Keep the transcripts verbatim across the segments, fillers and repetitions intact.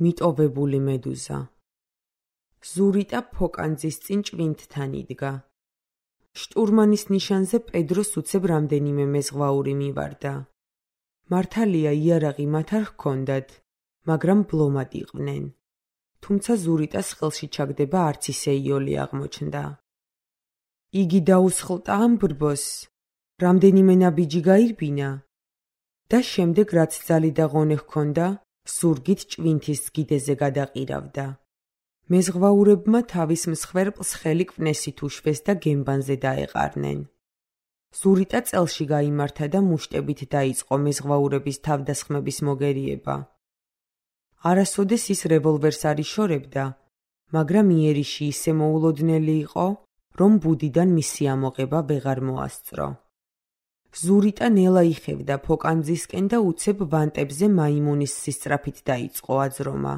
მიტოვებული მედუზა. ზურიტა ფოკანძის წინ ჭვინთთან იდგა. შტურმანის ნიშანზე პედროს უცებ რამდენიმე მეზღვაური მივარდა. მართალია იარაღი მათ არ ჰქონდათ, მაგრამ ბლომად იყვნენ. თუმცა ზურიტას ხელში ჩაგდება არც ისე იოლი აღმოჩნდა. იგი დაუსხლტა ამ ბრბოს, რამდენიმე ნაბიჯი გაირბინა და შემდეგ რაც ძალი და ღონე ჰქონდა, ზურგით ჭვინთის გიდეზე გადაყირავდა. მეზღვაურებმა თავის მსხვერპლს ხელი კვნესით უშვეს და გემბანზე დაეყარნენ. ზურიტა წელში გაიმართა და მუშტებით დაიწყო მეზღვაურების თავდასხმების მოგერიება. არასოდეს ის რევოლვერს არ იშორებდა, მაგრამ იერიში ისე მოულოდნელი იყო, რომ ბუდიდან მისი ამოღება ვეღარ მოასწრო. ზურიტა ნელა იხევდა ფოკანძისკენ და უცებ ვანტებზე მაიმუნის სისწრაფით დაიწყო აძრომა.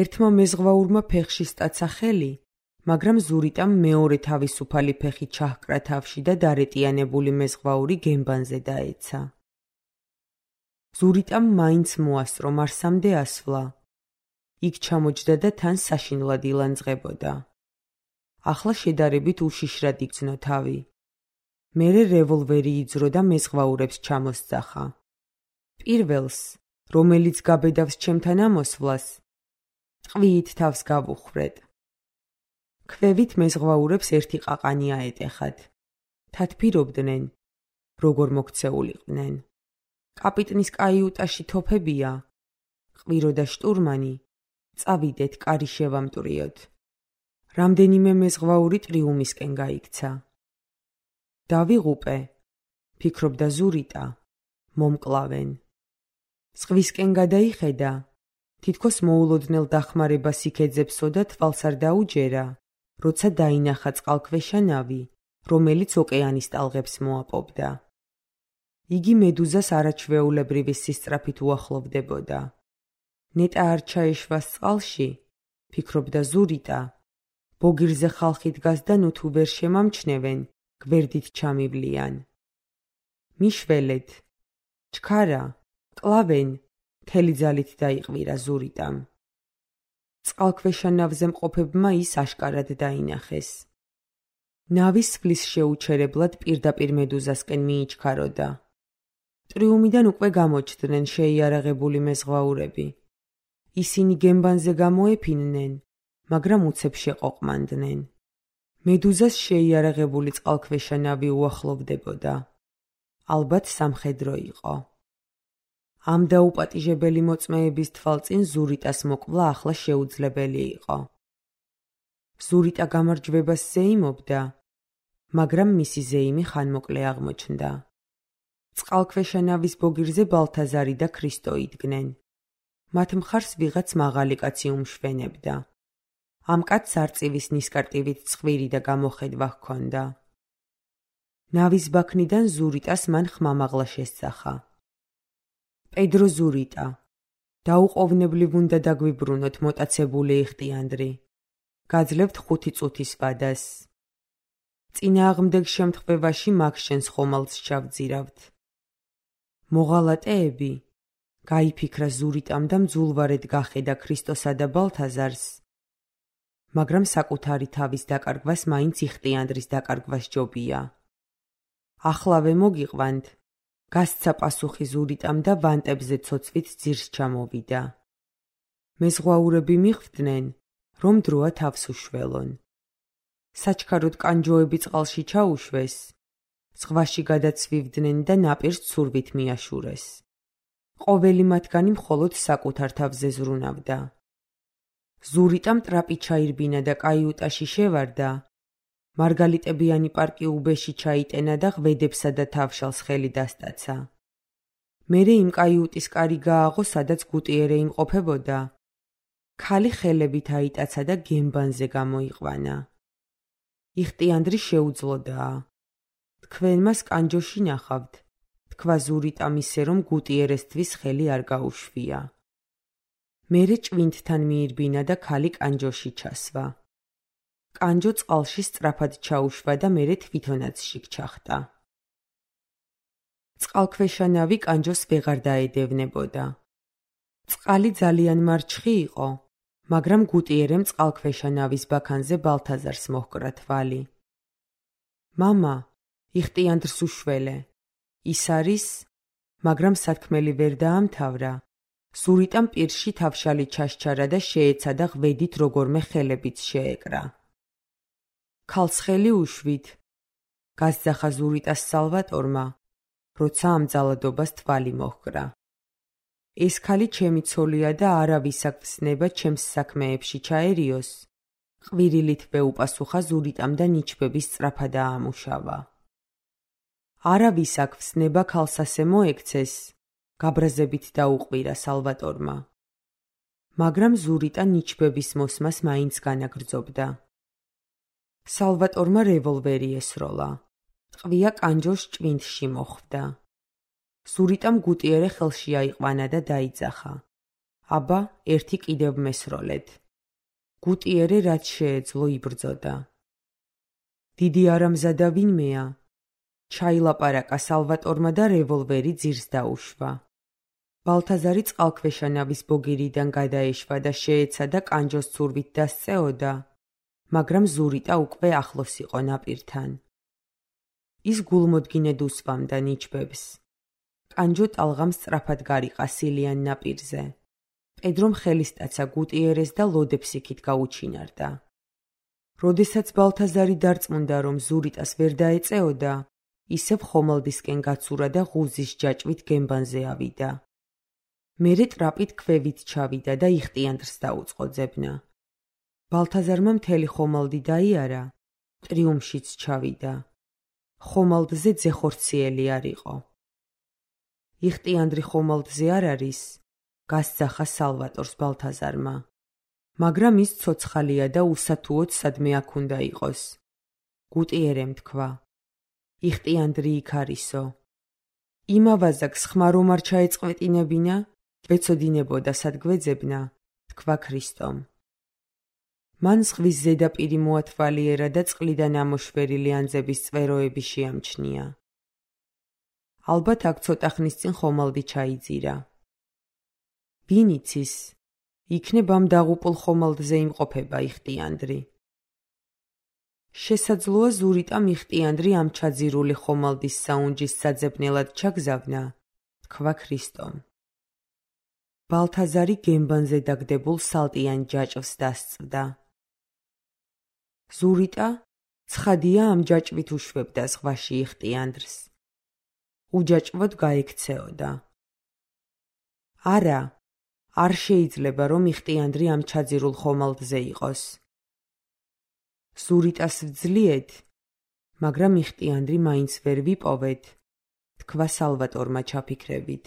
ერთმა მეზღვაურმა ფეხში სტაცა ხელი, მაგრამ ზურიტამ მეორე თავისუფალი ფეხი ჩაჰკრა თავში და დარეტიანებული მეზღვაური გემბანზე დაეცა. ზურიტამ მაინც მოასწრო მარსამდე ასვლა. იქ ჩამოჯდა და თან საშინლად ილანძღებოდა. ახლა შედარებით უშიშრად იგრძნო თავი. მერე რევოლვერი იძრო და მეზღვაურებს ჩამოსძახა. პირველს, რომელიც გაბედავს ჩემთან ამოსვლას, ტყვიით თავს გავუხრეთ. ქვევით მეზღვაურებს ერთი ყაყანი აეტეხათ. თათბირობდნენ, როგორ მოქცეულიყვნენ. კაპიტნის კაიუტაში თოფებია, ყვირო და შტურმანი, წავიდეთ, კარი შევამტვრიოთ. რამდენიმე მეზღვაური ტრიუმისკენ გაიქცა. დავიღუპე, ფიქრობდა ზურიტა, მომკლავენ. ზღვისკენ გადაიხედა, თითქოს მოულოდნელ დახმარებას იქეძებსო და თვალს არ დაუჯერა, როცა დაინახა წყალქვეშა ნავი, რომელიც ოკეანის ტალღებს მოაპოვდა. იგი მედუზას არაჩვეულებრივი სისწრაფით უახლოვდებოდა. ნეტა არ ჩაეშვას წყალში, ფიქრობდა ზურიტა, ბოგირზე ხალხი დგას და ნუ თუ ვერ შემამჩნევენ, გვერდით ჩამივლიან. მიშველეთ, ჩქარა, კლავენ, მთელი ძალით დაიყვირა ზურიტამ. წყალქვეშა ნავზე მყოფებმა ის აშკარად დაინახეს. ნავის სვლის შეუჩერებლად პირდაპირ მედუზასკენ მიიჩქაროდა. ტრიუმიდან უკვე გამოჩდნენ შეიარაღებული მეზღვაურები. ისინი გემბანზე გამოეფინნენ, მაგრამ უცებ შეყოყმანდნენ. მედუზას შეიარაღებული წყალქვეშა ნავი უახლოვდებოდა. ალბათ სამხედრო იყო. ამ დაუპატიჟებელი მოწმეების თვალწინ ზურიტას მოკვლა ახლა შეუძლებელი იყო. ზურიტა გამარჯვებას ზეიმობდა, მაგრამ მისი ზეიმი ხანმოკლე აღმოჩნდა. წყალქვეშა ნავის ბოგირზე ბალთაზარი და ქრისტო იდგნენ. მათ მხარს ვიღაც მაღალი კაცი უმშვენებდა. ამ კაცს არწივის ნისკარტივით ცხვირი და გამოხედვა ჰქონდა. ნავის ბაქნიდან ზურიტას მან ხმამაღლა შესძახა. პედრო ზურიტა, დაუყოვნებლივ უნდა დაგვიბრუნოთ მოტაცებული იხტიანდრი. გაძლევთ ხუთი წუთის ვადას. წინააღმდეგ შემთხვევაში მაგ შენს ხომალდს ჩავძირავთ. მოღალატეები, გაიფიქრა ზურიტამ და მძულვარედ გახედა ქრისტოსა და ბალთაზარს. მაგრამ საკუთარი თავის დაკარგვას მაინც იხტიანდრის დაკარგვა სჯობია. ახლავე მოგიყვანთ, გასცა პასუხი ზურიტამ და ვანტებზე ცოცვით ძირს ჩამოვიდა. მეზღვაურები მიხვდნენ, რომ დროა თავს უშველონ. საჩქაროდ კანჯოები წყალში ჩაუშვეს, ზღვაში გადაცვივდნენ და ნაპირს ცურვით მიაშურეს. ყოველი მათგანი მხოლოდ საკუთარ თავზე ზრუნავდა. ზურიტამ ტრაპი ჩაირბინა და კაიუტაში შევარდა, მარგალიტებიანი პარკი უბეში ჩაიტენა და ღვედებსა და თავშალს ხელი დასტაცა. მერე იმ კაიუტის კარი გააღო, სადაც გუტიერე იმყოფებოდა. ქალი ხელებით აიტაცა და გემბანზე გამოიყვანა. იხტიანდრი შეუძლოდაა. თქვენ მას კანჯოში ნახავთ, თქვა ზურიტამ ისე, რომ გუტიერესთვის ხელი არ გაუშვია. მერე ჭვინთთან მიირბინა და ქალი კანჯოში ჩასვა. კანჯო წყალში სწრაფად ჩაუშვა და მერე თვითონაც შიგ ჩახტა. წყალქვეშა ნავი კანჯოს ვეღარ დაედევნებოდა. წყალი ძალიან მარჩხი იყო, მაგრამ გუტიერემ წყალქვეშა ნავის ბაქანზე ბალთაზარს მოჰკრა თვალი. მამა, იხტიანდრს უშველე. ის არის, მაგრამ სათქმელი ვერ დაამთავრა. ზურიტამ პირში თავშალი ჩასჩარა და შეეცადა ღვედით როგორმე ხელებით შეეკრა. ქალს ხელი უშვით. გასძახა ზურიტას სალვატორმა, როცა ამ ძალადობას თვალი მოჰკრა. ეს ქალი ჩემი ცოლია და არავის აქ-ვსნება ჩემს საქმეებში ჩაერიოს. ყვირილითვე უპასუხა ზურიტამ და ნიჩბების სწრაფად დაამუშავა. არავის აქ-ვსნება ქალს ასე მოექცეს, გაბრაზებით დაუყვირა სალვატორმა. მაგრამ ზურიტა ნიჩბების მოსმას მაინც განაგრძობდა. სალვატორმა რევოლვერი ესროლა. ტყვია კანჯოს ჭვინთში მოხვდა. ზურიტამ გუტიერე ხელში აიყვანა და დაიძახა. აბა, ერთი კიდევ მესროლეთ. გუტიერე რაც შეეძლო იბრძოდა. დიდი არამზადა ვინმეა? ჩაილაპარაკა სალვატორმა და რევოლვერი ძირს დაუშვა. ბალთაზარი წყალქვეშა ნავის ბოგირიდან გადაეშვა და შეეცადა კანჯოს ცურვით დასწეოდა, მაგრამ ზურიტა უკვე ახლოს იყო ნაპირთან. ის გულმოდგინედ უსვამდა ნიჩბებს. კანჯო ტალღამ სწრაფად გარიყა სილიან ნაპირზე. პედრომ ხელისტაცა გუტიერეს და ლოდებს იქით გაუჩინარდა. როდესაც ბალთაზარი დარწმუნდა, რომ ზურიტას ვერ დაეწეოდა, ისევ ხომალდისკენ გაცურა და ღუზის ჯაჭვით გემბანზე ავიდა. მერე ტრაპით ქვევით ჩავიდა და იხტიანდრს დაუწყო ძებნა. ბალთაზარმა მთელი ხომალდი დაიარა, ტრიუმშიც ჩავიდა. ხომალდზე ძეხორციელი არ იყო. იხტიანდრი ხომალდზე არ არის, გასძახა სალვატორს ბალთაზარმა. მაგრამ ის ცოცხალია და უსათუოდ სადმე აქ უნდა იყოს. გუტიერემ თქვა. იხტიანდრი იქ არისო. იმავაზაკს ხმა რომ არ ჩაეწყვეტინებინა, გვეცოდინებოდა სად გვეძებნა, თქვა ქრისტომ. მან ზღვის ზედაპირი მოათვალიერა და წყლიდან ამოშვერილი ანძების წვეროები შეამჩნია. ალბათ აქ ცოტა ხნის წინ ხომალდი ჩაიძირა. ვინ იცის, იქნებ ამ დაღუპულ ხომალდზე იმყოფება იხტიანდრი. შესაძლოა ზურიტამ იხტიანდრი ამ ჩაძირული ხომალდის საუნჯის საძებნელად ჩაგზავნა, თქვა ქრისტომ. ბალთაზარი გემბანზე დაგდებულ სალტიან ჯაჭვს დასწვდა. ზურიტა ცხადია ამ ჯაჭვით უშვებდა ზღვაში იხტიანდრს. უჯაჭვოდ გაექცეოდა. არა, არ შეიძლება რომ იხტიანდრი ამ ჩაძირულ ხომალდზე იყოს. ზურიტას ვძლიეთ, მაგრამ იხტიანდრი მაინც ვერ ვიპოვეთ, თქვა სალვატორმა ჩაფიქრებით.